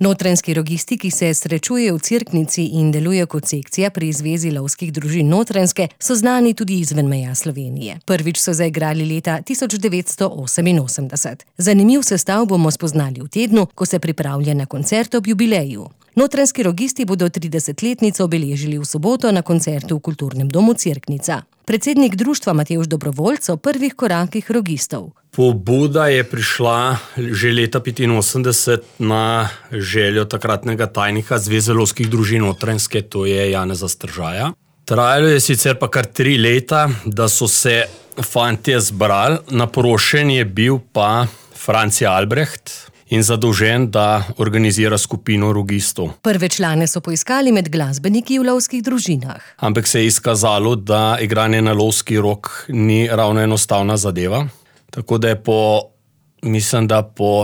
Notranjski rogisti, ki se srečujejo v Cerknici in delujejo kot sekcija pri Zvezi lovskih družin Notranjske, so znani tudi izven meja Slovenije. Prvič so zaigrali leta 1988. Zanimiv sestav bomo spoznali v tednu, ko se pripravlja na koncert ob jubileju. Notranjski rogisti bodo 30-letnico obeležili v soboto na koncertu v Kulturnem domu Cerknica. Predsednik društva Matevž Dobrovoljc o prvih korakih rogistov. Pobuda je prišla že leta 1985 na željo takratnega tajnika Zveze lovskih družin Notranjske, to je Janeza Stržaja. Trajalo je sicer pa kar 3 leta, da so se fantje zbrali, naprošen je bil pa Franci Albrecht in zadolžen, da organizira skupino rogistov. Prve člane so poiskali med glasbeniki v lovskih družinah. Ampak se je izkazalo, da igranje na lovski rog ni ravno enostavna zadeva. Tako da je po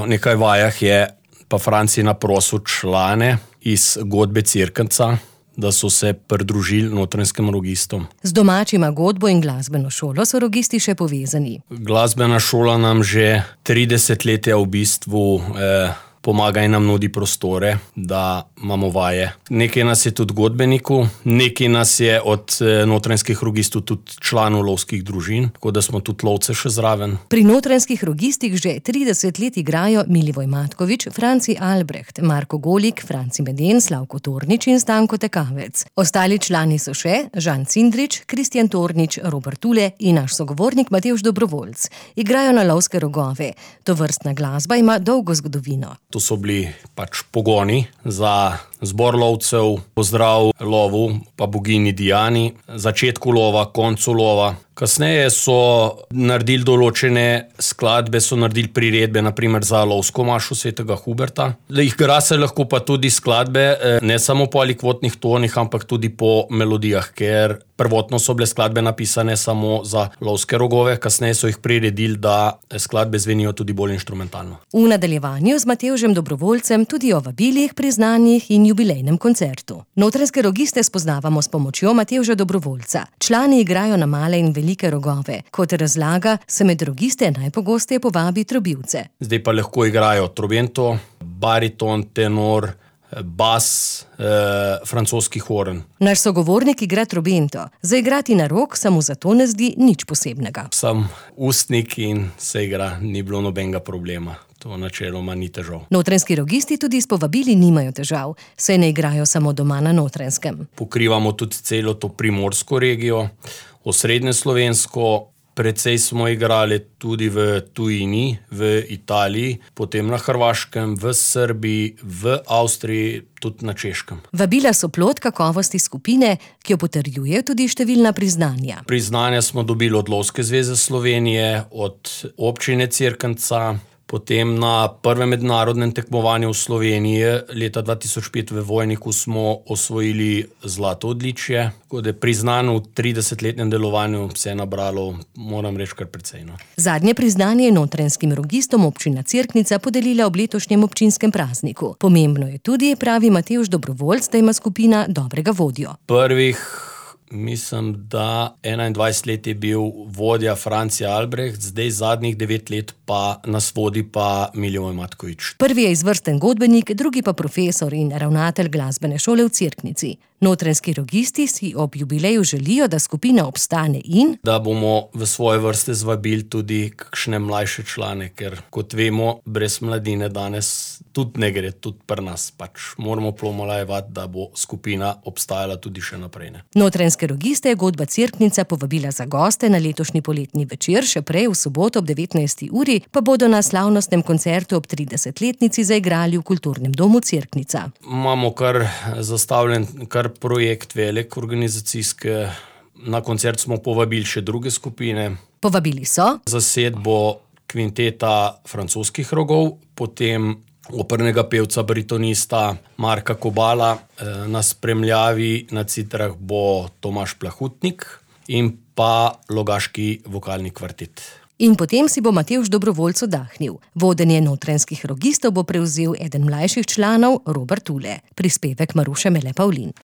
nekaj vajah je pa Franci naprosil člane iz godbe Cerknica, da so se pridružili notranjskim rogistom. Z domačima godbo in glasbeno šolo so rogisti še povezani. Glasbena šola nam že 30 let v bistvu pomaga in nam nudi prostore, da imamo vaje. Nekaj nas je tudi godbenikov, nekaj nas je od notranjskih rogistov tudi članov lovskih družin, tako da smo tudi lovce še zraven. Pri notranjskih rogistih že 30 let igrajo Milivoj Matkovič, Franci Albrecht, Marko Golik, Franci Meden, Slavko Tornič in Stanko Tekavec. Ostali člani so še Žan Cindrič, Kristjan Tornič, Robert Tule in naš sogovornik Matevž Dobrovoljc. Igrajo na lovske rogove. Tovrstna glasba ima dolgo zgodovino. To so bili pač pogoni za zbor lovcev, pozdrav lovu, pa bogini Diani, začetku lova, koncu lova. Kasneje so naredili določene skladbe, so naredili priredbe, naprimer za lovsko mašo svetega Huberta. Igra se lahko pa tudi skladbe, ne samo po alikvotnih tonih, ampak tudi po melodijah, ker prvotno so bile skladbe napisane samo za lovske rogove, kasneje so jih priredili, da skladbe zvenijo tudi bolj inštrumentalno. V nadaljevanju z Matevžem Dobrovoljcem tudi o vabilih, priznanjih in jubilejnem koncertu. Notranjske rogiste spoznavamo s pomočjo Matevža Dobrovoljca. Člani igrajo na male in velike rogove. Kot razlaga, se med rogiste najpogosteje povabi trobivce. Zdaj pa lahko igrajo trobento, bariton, tenor, bas, francoski horn. Naš sogovornik igra trobento. Zaigrati na rog se mu zato ne zdi nič posebnega. Sem ustnik in se igra, ni bilo nobenega problema. To načeloma ni težav. Notranjski rogisti tudi s povabili nimajo težav, saj ne igrajo samo doma na Notranjskem. Pokrivamo tudi celo to primorsko regijo, osrednje slovensko, precej smo igrali tudi v tujini, v Italiji, potem na Hrvaškem, v Srbiji, v Avstriji, tudi na Češkem. Vabila so plod kakovosti skupine, ki jo potrjuje tudi številna priznanja. Priznanja smo dobili od Lovske zveze Slovenije, od občine Cerknica, potem na prvem mednarodnem tekmovanju v Sloveniji leta 2005 v Vojniku smo osvojili zlato odličje, tako da je priznano v 30-letnem delovanju se je nabralo, moram reči, kar precej. Zadnje priznanje je notranjskim rogistom občina Cerknica podelila ob letošnjem občinskem prazniku. Pomembno je tudi, pravi Matevž Dobrovoljc, da ima skupina dobrega vodjo. Mislim, da 21 let je bil vodja Franci Albrecht, zdaj zadnjih 9 let pa nas vodi pa Milivoj Matkovič. Prvi je izvrsten godbenik, drugi pa profesor in ravnatelj glasbene šole v Cerknici. Notranjski rogisti si ob jubileju želijo, da skupina obstane in da bomo v svoje vrste zvabili tudi kakšne mlajše člane, ker kot vemo, brez mladine danes tudi ne gre, tudi pri nas. Pač moramo pomolajevati, da bo skupina obstajala tudi še naprej. Notranjske rogiste je godba Cerknica povabila za goste na letošnji poletni večer, še prej v soboto ob 19. uri pa bodo na slavnostnem koncertu ob 30-letnici zaigrali v Kulturnem domu Cerknica. Imamo kar zastavljen projekt velik organizacijski. Na koncert smo povabili še druge skupine. Povabili so zasedbo kvinteta francoskih rogov, potem opernega pevca, baritonista Marka Kobala, na spremljavi na citrah bo Tomaž Plahutnik in pa Logaški vokalni kvartet. In potem si bo Matevž Dobrovoljc oddahnil. Vodenje notranjskih rogistov bo prevzel eden mlajših članov, Robert Tule. Prispevek Maruše Mele Pavlin.